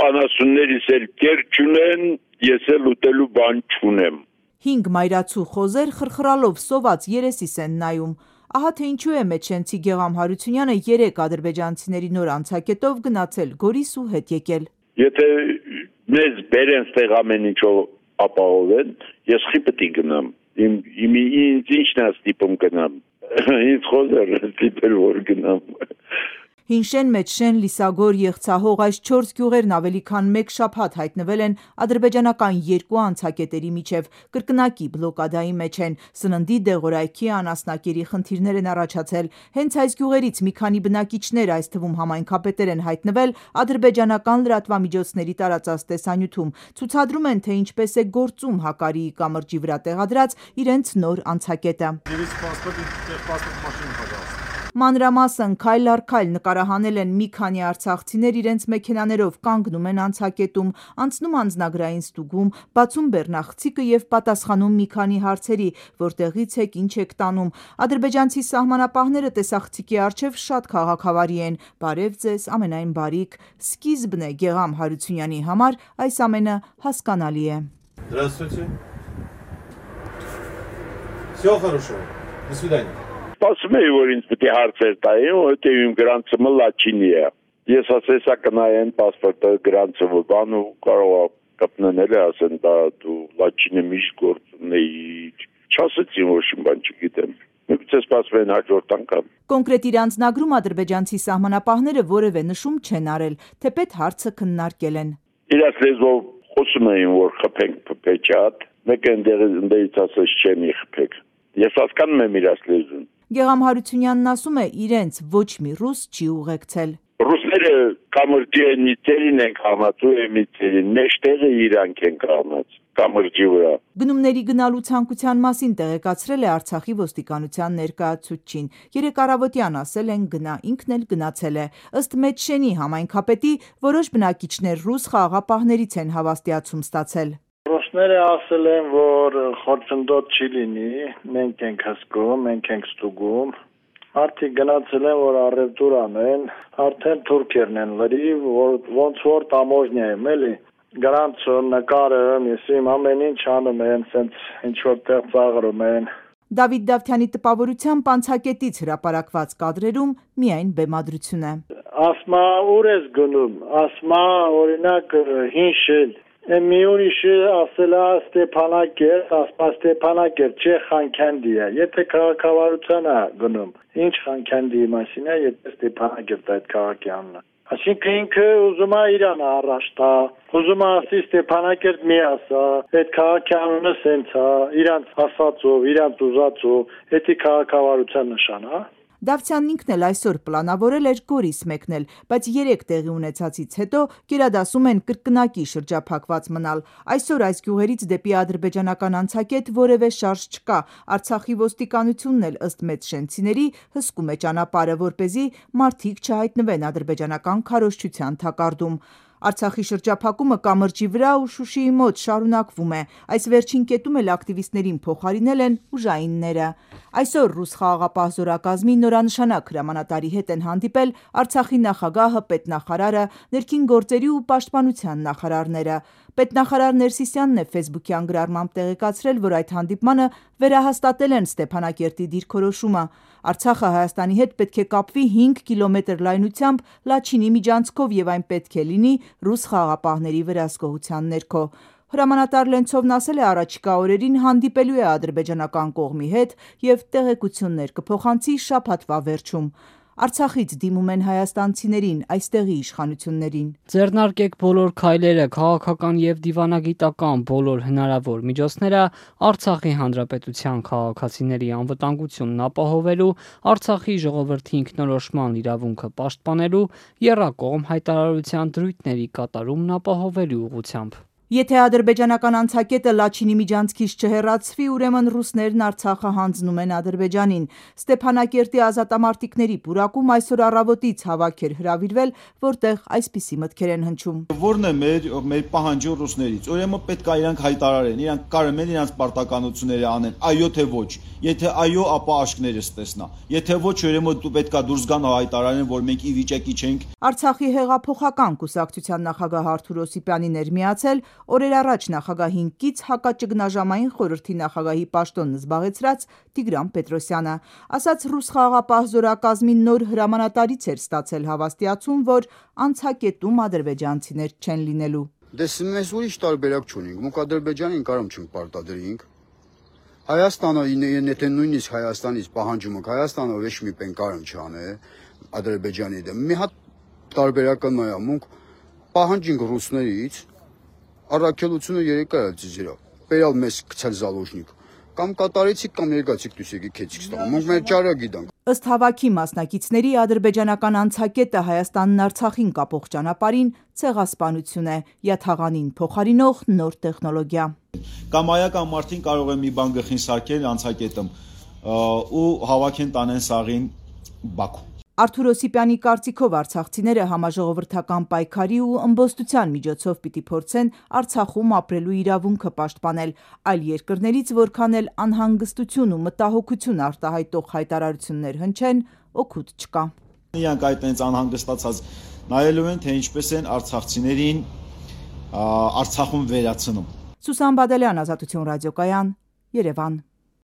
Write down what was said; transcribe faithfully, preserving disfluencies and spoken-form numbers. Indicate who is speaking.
Speaker 1: անասուններիս էլ կեր չունեն, ես էլ ուտելու բան չունեմ։
Speaker 2: Հինգ մայրացու խոզեր խրխրալով սոված երեսիս են նայում։ Ահա թե ինչու է մեջշենցի Գեղամ Հարությունյանը երեք ադրբեջանցիների նոր անցակետով գնացել Գորիս ու հետ եկել։
Speaker 1: Եթե մեզ բերեն ստեղ ամեն ինչով ապահովեն, ես խի պետք է գնամ։ Իմ իմ ինձ ինչն է ստիպում գնամ։ Ինձ խոզեր ստիպել որ գնամ։
Speaker 2: Հինշեն, Մեջշեն, Լիսագոր, Եղցահող այս չորս գյուղերն ավելի քան մեկ շաբաթ հայտնվել են ադրբեջանական երկու անցակետերի միջև, կրկնակի բլոկադայի մեջ են, սննդի, դեղորայքի, անասնակերի խնդիրներ են առաջացել։ Հենց այս գյուղերից մի քանի բնակիչներ, այս թվում համայնքապետեր են հայտնվել ադրբեջանական լրատվամիջոցների տարածած տեսանյութում, ցուցադրում են, թե ինչպես է գործում Հակարիի կամրջի վրա տեղադրած իրենց նոր անցակետը։ Մանրամասն քայլ առ քայլ նկարահանել են մի քանի արցախցիներ իրենց մեքենաներով կանգնում են անցակետում, անցնում անձնագրային ստուգում, բացում բեռնախցիկը եւ պատասխանում մի քանի հարցերի, որտեղից եք, ինչ եք տանում։ Ադրբեջանցի սահմանապահները տեսախցիկի առջև շատ քաղաքավարի են։ Բարև ձեզ, ամենայն բարիք։ Սկիզբն է Գեղամ Հարությունյանի համար այս ամենը հասկանալի է։
Speaker 3: Здравствуйте. Всё хорошо. До свидания.
Speaker 1: Ասում էի, որ ինձ պետք է հարցեր տային, որովհետև իմ գրանցումը լաչինի է։ Ես ասեցա կնայեն պասպորտը գրանցումը բան ու կարող կպննել է ասեն, դա դու լաչինը միշտ գործ ունեի։ Չասեցին, որ շին բան չգիտեմ։ Միգուցե սպասվեն հաջորդ անգամ։
Speaker 2: Կոնկրետ իր անձնագրում ադրբեջանցի սահմանապահները որևէ նշում չեն արել, թեպետ հարցը քննարկել են։
Speaker 1: Իրաց լեզվով խոսում էին, որ խփենք փփեչատ, մեկը ընդերից ասեց չեմ խփեք։ Ես հասկանում եմ իրաց լեզուն։
Speaker 2: Գեղամ Հարությունյանն ասում է, իրենց ոչ մի ռուս չի ուղեկցել։
Speaker 1: Ռուսները կամրջի նիցերին են կաղնած ու էմիցերին, մեջտեղը իրանք են կաղնած կամրջի վրա։
Speaker 2: Գնումների գնալու ցանկության մասին տեղեկացրել է Արցախի ոստիկանության ներկայացուցչին։ Երեկ առավոտյան ասել են գնա, ինքն էլ գնացել է։ Ըստ Մեջշենի համայնքապետի, որոշ բնակիչներ ռուս խաղաղապահներից են հավաստիացում ստացել։
Speaker 4: Ռուսները ասել են, որ խորցնդոտ չի լինի, մենք ենք հսկում, մենք ենք ստուգում, արդի գնացել են, որ առևտուր անեն, արդեն թուրքերն են լրիվ, որ ոնց որ տամոժնյա եմ, էլի, գրանցում, նկարում, ես իմ ամեն ինչ անում են, սենց ինչ-որ տեղ ծաղրում են։
Speaker 2: Դավիթ Դավթյանի տպավորությամբ անցակետից հրապարակված կադրերում միայն բեմադրություն է։
Speaker 4: Ասմա ուր ես գնում, ասմա օրինակ հինշել, մի ուրիշը ասել է Ստեփանակերտ, ասպա Ստեփանակերտ, չէ Խանքանդի է, եթե քաղաքավարության է գնում, ինչ Խանքանդի մասին է, եթե Ստեփանակերտ այդ քաղաքի անունը։ Այսինքն ինքը ուզում է Իրանը առաջ տա, ուզում է ասի Ստեփանակերտ մի ասա, այդ քաղաքի անունը սենց է, իրանց ասածով, իրանց ուզածով, դա քաղաքավարության նշան է։
Speaker 2: Դավթյանն ինքն էլ այսօր պլանավորել էր Գորիս մեկնել, բայց երեք տեղի ունեցածից հետո գերադասում են կրկնակի շրջափակված մնալ։ Այսօր այս գյուղերից դեպի ադրբեջանական անցակետ որևէ շարժ չկա։ Արցախի ոստիկանությունն էլ ըստ մեջշենցիների հսկում է ճանապարհը, որպեսզի մարդիկ չհայտնվեն ադրբեջանական քարոզչության թակարդում։ Արցախի շրջափակումը կամրջի վրա ու Շուշիի մոտ շարունակվում է։ Այս վերջին կետում էլ ակտիվիստներին փոխարինել են ուժայինները։ Այսօր ռուս խաղաղապահ զորակազմի նորանշանակ հրամանատարի հետ են հանդիպել Արցախի նախագահը, պետնախարարը, ներքին գործերի ու պաշտպանության նախարարները։ Պետնախարար Ներսիսյանն է ֆեյսբուքյան գրառմամբ տեղեկացրել, որ այդ հանդիպմանը վերահաստատել են Ստեփանակերտի դիրքորոշումը։ Արցախը Հայաստանի հետ պետք է կապվի հինգ կիլոմետր լայնությամբ Լաչինի միջանցքով եւ այն պետք է լինի ռուս խաղաղապահների վերահսկողության ներքո։ Հրամանատար Լենցովն ասել է առաջիկա օրերին հանդիպելու է ադրբեջանական կողմի հետ եւ տեղեկություններ կփոխանցի շաբաթվա վերջում։ Արցախից դիմում են հայաստանցիներին, այստեղի իշխանություններին։
Speaker 5: Ձեռնարկեք բոլոր քայլերը, քաղաքական եւ դիվանագիտական բոլոր հնարավոր միջոցները Արցախի հանրապետության քաղաքացիների անվտանգությունն ապահովելու, Արցախի ժողովրդի ինքնորոշման իրավունքը պաշտպանելու, եռակողմ հայտարարության դրույթների կատարումն ապահովելու ուղղությամբ։
Speaker 2: Եթե ադրբեջանական անցակետը Լաչինի միջանցքից չհեռացվի, ուրեմն ռուսներն Արցախը հանձնում են Ադրբեջանին։ Ստեփանակերտի ազատամարտիկների պուրակում այսօր առավոտից հավաք էր հրավիրվել, որտեղ այսպիսի մտքեր են հնչում։
Speaker 6: Որն է մեր մեր պահանջը ռուսներից։ Ուրեմն պետք է իրանք հայտարարեն, իրանք կարող են իրանք պարտականությունները անեն, այո թե ոչ։ Եթե այո, ապա աշկներս տեսնա։ Եթե ոչ, ուրեմն դու պետք է դուրս գան հայտարարեն, որ մենք ի վիճակի չենք։
Speaker 2: Արցախի հեղափոխական կուսակցության նախագահ Արթուր Օսիպյանին էր միացել օրեր առաջ նախագահին կից հակաճգնաժամային խորհրդի նախագահի պաշտոնն զբաղեցրած Տիգրան Պետրոսյանը, ասաց ռուս խաղաղապահ զորակազմի նոր հրամանատարից էր ստացել հավաստիացում, որ անցակետում ադրբեջանցիներ չեն լինելու։
Speaker 7: Դες մեզ ուրիշ տարբերակ չունենք, մուք Ադրբեջանին կարում չենք պարտադրենք։ Հայաստանը եթե նույնիսկ Հայաստանից պահանջում եք, Հայաստանը ոչ մի բան կարում չանե Ադրբեջանի դեմ։ Մի հատ տարբերակը նա է, մուք պահանջենք ռուսներից առաքելությունը երեք այլ ձիզիրա։ Բերալ մեզ գցել զալոժնիկ։ Կամ կատարեցիք կամ երկացիք դուսեկի քեցիք ստամ։ Մենք մեր ճարը գիտենք։
Speaker 2: Ըստ հավաքի մասնակիցների ադրբեջանական անցակետը Հայաստանն Արցախին կապող ճանապարհին ցեղասպանություն է, յաթաղանին փոխարինող նոր տեխնոլոգիա։
Speaker 6: Կամ այական մարդին կարող է մի բան գլխին սարքել անցակետում ու հավաքեն տանեն սաղին Բաքու։
Speaker 2: Արթուր Օսիպյանի կարծիքով արցախցիները համաժողովրդական պայքարի ու ըմբոստության միջոցով պիտի փորձեն Արցախում ապրելու իրավունքը պաշտպանել, այլ երկրներից որքան էլ անհանգստություն ու մտահոգություն արտահայտող հայտարարություններ հնչեն, օգուտ չկա։
Speaker 6: Իրանք այդ այնց անհանգստացած նայելու են, թե ինչպես են արցախցիներին Արցախում վերացնում։
Speaker 2: Սուսան Բադալյան, Ազատություն ռադիոկայան, Երևան։